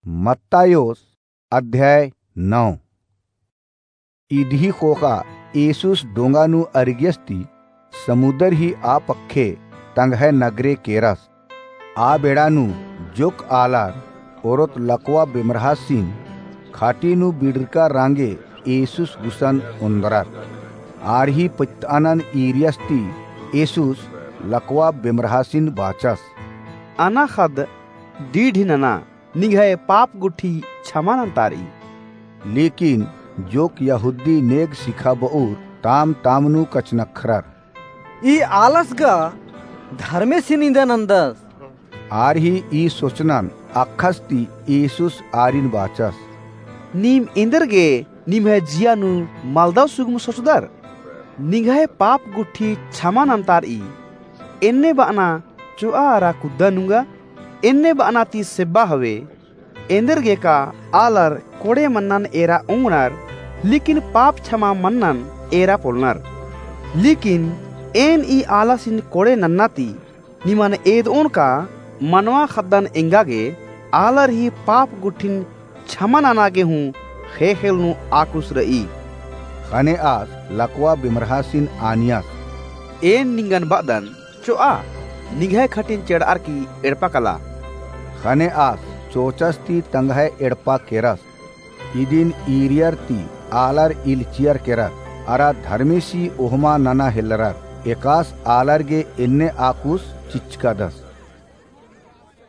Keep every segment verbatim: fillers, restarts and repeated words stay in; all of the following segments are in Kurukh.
मत्तायोस अध्याय नौ। इदही ख़ोख़ा येसुस डोंगा नू अरगियस ती समुदर ही आ पक्खे तंग्है नगरे केरस। आ बेड़ा नू जोक्क आलर ओरोत लकवा बेमरहासिन खाटी नू बिड़रका रांगे येसुस गुसन ओन्दरर। आर ही पत्तअनन ईरियस ती येसुस लकवा बेमरहासिन बाचस, अना ख़द्द डीडी नना, निंग्है पाप गुट्ठी छमा नन्तारई। लेकिन जोक्क यहूदी नेग सिखाबउर ताम ताम नू कछनख्रर, ई आलस गा धर्मेसिन इन्दा नन्दस। आर ही ई सोचनन अख़स ती येसुस आरिन बाचस, नीम एन्देरगे निम्है जिया नू मलदव सुगम सोचदर? निंग्है पाप गुट्ठी छमा नन्तारई। एन्ने बअना चोआ अरा कुद्दा नुंगा, एन्ने बअना ती सेब्बा हवे। एन्देरगे का आलर कोड़े मन्नन एरा ओंगनर, लेकिन पाप छमा मन्नन एरा पोलनर। लेकिन एन ई आलसिन कोड़े नन्ना ती निमन एदओन का मनवा ख़द्दन एंगा गे आलर ही पाप गुट्ठिन छमा नना गे हूँ ख़ेख़ेल नू आकुस रई। ख़ने आस लकवा बेमरहासिन आनियस, एन निंगन बअदन, चोआ, निंग्है खटिन चेड़अर की एड़पा कला। ख़ने आस चोचस ती तंग्है एड़पा केरस। इदिन ईरियर ती आलर इल्चियर केरर, अरा धर्मेसी ओहमा नना हेलरर। एकास आलर गे एन्ने आकुस चिचकादस।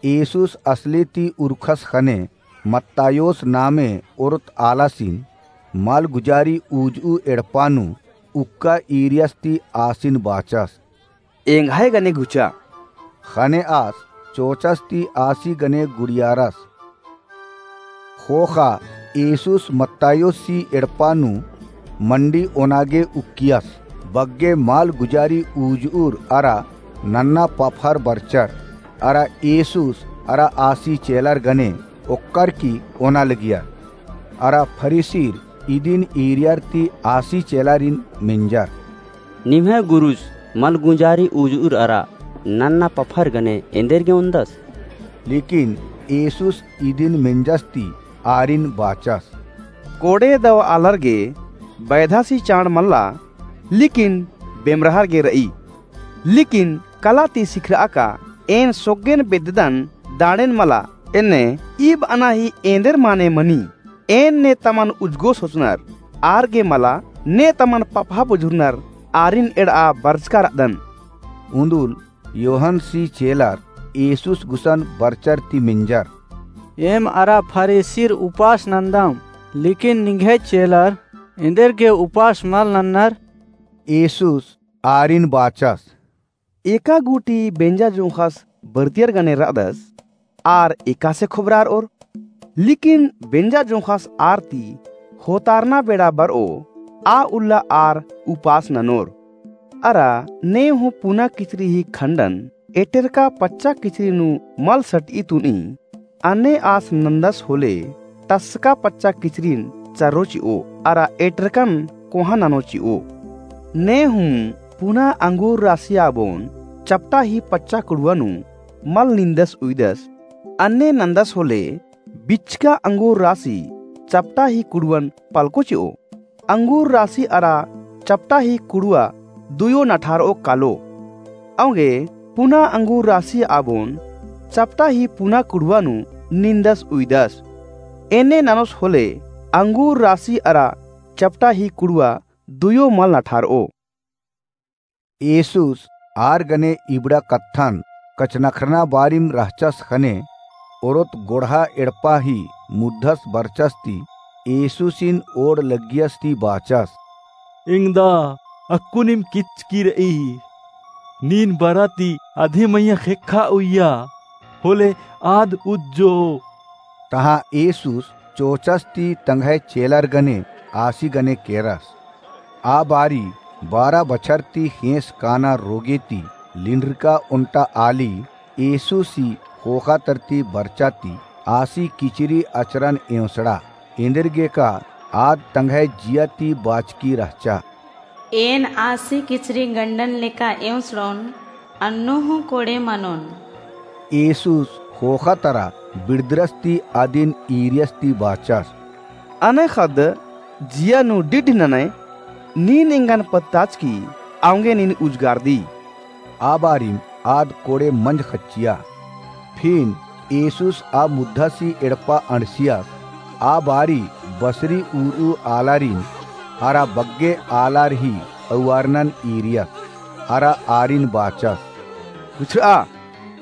येसुस असले ती उरखस ख़ने मत्तायोस नामे ओरोत आलासिन मलगुजारी उजऊ एड़पा नू उक्का ईरियस ती आसिन बाचस, एंग्है गने गुचा। ख़ने आस चोचस ती आसी गने गुड़ियारस। ख़ोख़ा येसुस मत्तायोसी एड़पा नू मंडी ओना गे उक्कियस। बग्गे मलगुजारी उजऊर अरा नन्ना पफर बरचर, अरा येसुस अरा आसी चेलर गने ओक्कर की ओना लगियर। अरा फरीसीर इदिन ईरियर ती आसी चेलारिन मेंजर, निम्है गुरुस मलगुजारी उजऊर अरा नन्ना पफर गने एन्देरगे ओन्दस? लेकिन येसुस इदिन मेंजस ती आरिन बाचस, कोड़े दव आलर गे बैधासी चाड़ मल्ला, लेकिन बेमरहर गे रई। लेकिन कला ती सिखरआ का, एन सोग्गेन बेद्ददन दाड़ेन मला, एन्ने ई बअना ही एन्देर माने मनी। एन ने तमन उजगो सोचनर, आर गे मला, ने तमन पपहा बुझुरनर, आरिन एड़आ बरचका रअदन। उन्दुल योहनसी चेलर येसुस गुसन बरचर ती मेंजर, एम अरा फरीसीर उपास नन्दम, लेकिन निंग्है चेलर एन्देरगे उपास मल नन्नर? येसुस आरिन बाचस, एका गूटी बेंजा जोंख़स बरतियर गने रअदस, आर एकासे खोबरारओर? लेकिन बेंजा जोंख़स आर ती होतारना बेड़ा बरओ, आ उल्ला आर उपास ननोर। अरा ने हूँ पुना किचरी ही खंडन एटेरका पच्चा किचरी नू मल सटई तुनी, अन्ने आस नन्दस होले टसका पच्चा किचरिन चर्रो चिओ, अरा एटेरकन कोहाँ ननो चिओ। ने हूँ पुना अंगूर रासिया बोन चपटा ही पच्चा कुड़ुआ नू मल निंदस उइदस, अन्ने नन्दस होले बिचका अंगूर रासी चपटा ही कुड़ुअन पलको चिओ। अंगूर रासी अरा चपटा ही कुड़ुआ दुयो नठारओ कालो। औंगे पुना अंगूर रासी आबोन चपटा ही पुना कुड़ुआ नू निंदस उइदस। एन्ने ननोस होले अंगूर रासी अरा चपटा ही कुड़ुआ दुयो मल नठारओ। येसुस आर गने इबड़ा कत्थन कछनखरना बारिम रहचस ख़ने, ओरोत गोड़हा एड़पा ही मुद्धस बरचस ती येसुसिन ओड़ लग्गियस ती बाचस, एंगदा, अक्कुनिम किचकी रई। नीन बरा ती अधे मइय्याँ ख़ेक्खा उइया, होले आद उज्जो। तहाँ येसुस चोचस ती तंग्है चेलर गने आसी गने केरस। आ बारी बारा बछर ती ख़ेंस काना रोगे ती लिंड्रका ओन्टा आली येसुसी ख़ोख़ा तरती बरचा ती आसी किचरी अचरन एवंसड़ा। एन्देरगेका आद तंग्है जिया ती बाचकी रहचा। एन आसी किचरी गंडन लेका एवंसड़ोन, अन्नु हूँ कोड़े मनोन। येसुस ख़ोख़ा तरा बिड़दरस ती अदिन ईरियस ती बाचस, अनय ख़द्द जिया नू डिड्ड ननय, नीन एंगन पत्ताचकी, औंगे नीन उजगारदी। आ बारिम आद कोड़े मंज ख़च्चिया। फिन येसुस आ मुद्धासी एड़पा अंड़सियस, आ बारी बसरी उरऊ आलारिन, अरा बग्गे आलार ही अउआरनन ईरियस, अरा आरिन बाचस, गुछरआ,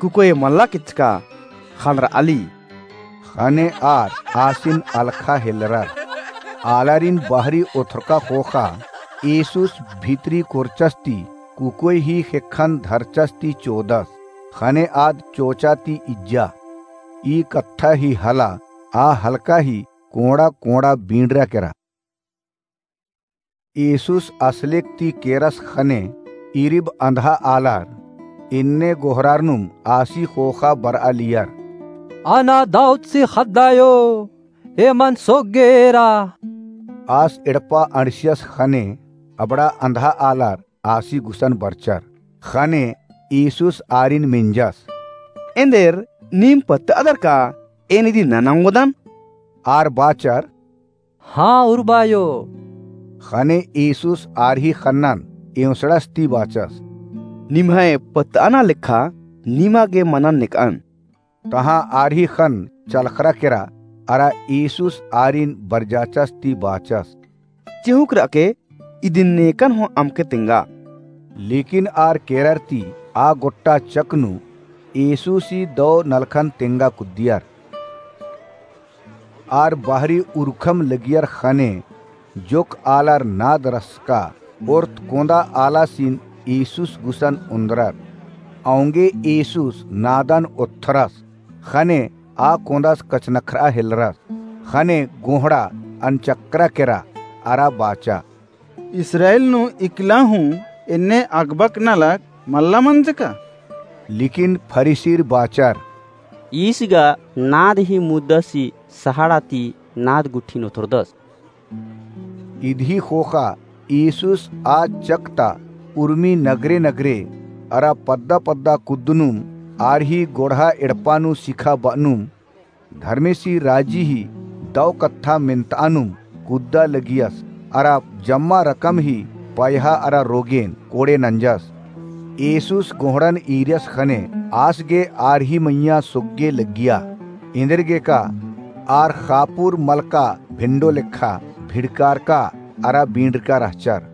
कुकोय मल्ला केचका, ख़ंड़रआली। ख़ने आर आसिन अलख़ा हेलरर। आलारिन बहरी ओथरका ख़ोख़ा येसुस भितरी कोरचस ती कुकोय ही ख़ेक्खन धरचस ती चोदस। ख़ने आद चोचा ती इज्जा। ई कत्था ही हला आ हलका ही कोंड़ा कोंड़ा बींड़रा केरा। येसुस असलेक ती केरस ख़ने इरिब अंधा आलार एन्ने गोहरारनुम आसी ख़ोख़ा बरआ लियर, अना दाऊदसी ख़द्द आयो, एमन सोग्गेरा। आस एड़पा अंड़सियस ख़ने अबड़ा अंधा आलार आसी गुसन बरचर। ख़ने येसुस आरिन मेंजस, एन्देर नीम पत्तअदर का एन इदी नना ओंगोदन? आर बाचर, हाँ, उर्बायो। ख़ने येसुस आर ही ख़न्नन एवंसड़स ती बाचस, निम्है पत्तअना लेखा निमा गे मनन नेकअन। तहाँ आर ही ख़न्न चलख़रा केरा, अरा येसुस आरिन बरजाचस ती बाचस, चिहुँक रअके, इदिन नेकन हूँ अमके तेंगा। लेकिन आर केरर ती आ गोट्टा चक नू येसुसी दौ नलखन तेंगा कुद्दियर। आर बहरी उरखम लगियर ख़ने जोक्क आलर नाद रसका ओर्त कोंदा आलासिन येसुस गुसन ओन्द्रर। औंगे येसुस नादन ओत्थरस ख़ने आ कोंदस कछनख्रआ हेलरस। ख़ने गोंहड़ा अनचक्रा केरा अरा बाचा, इस्राएल नू इकला हूँ एन्ने अगबक नलख मल्ला मंजका? लेकिन फरीसीर बाचर, ईस गा नाद ही मुद्दासी सहाड़ा ती नाद गुट्ठिन ओथोरदस। इदही ख़ोख़ा येसुस आ चक ता उर्मी नगरे नगरे अरा पद्दा पद्दा कुद्दनुम आर ही गोड़हा एड़पा नू सिखा बअनुम धर्मेसी राजी ही दौ कत्था मेन्तआनुम कुद्दा लगियस, अरा जम्मा रकम ही पयहा अरा रोगेन कोड़े नंजस। येसुस गोहड़न ईरियस ख़ने आस गे आर ही मइय्याँ सोग्गे लग्गिया। एन्देरगेका आर ख़ापुर मलका भेंडो लेखा भिड़कारका अरा बींड़रका रहचर।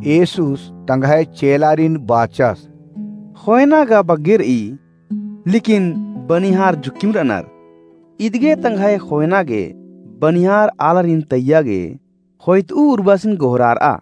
येसुस तंग्है चेलारिन बाचस, ख़ोयना गा बग्गे रई, लेकिन बनिहार जुक्किम रअनर। इदगे तंग्है ख़ोयना गे बनिहार आलारिन तइय्या गे ख़ोयतऊ उर्बासिन गोहरारआ।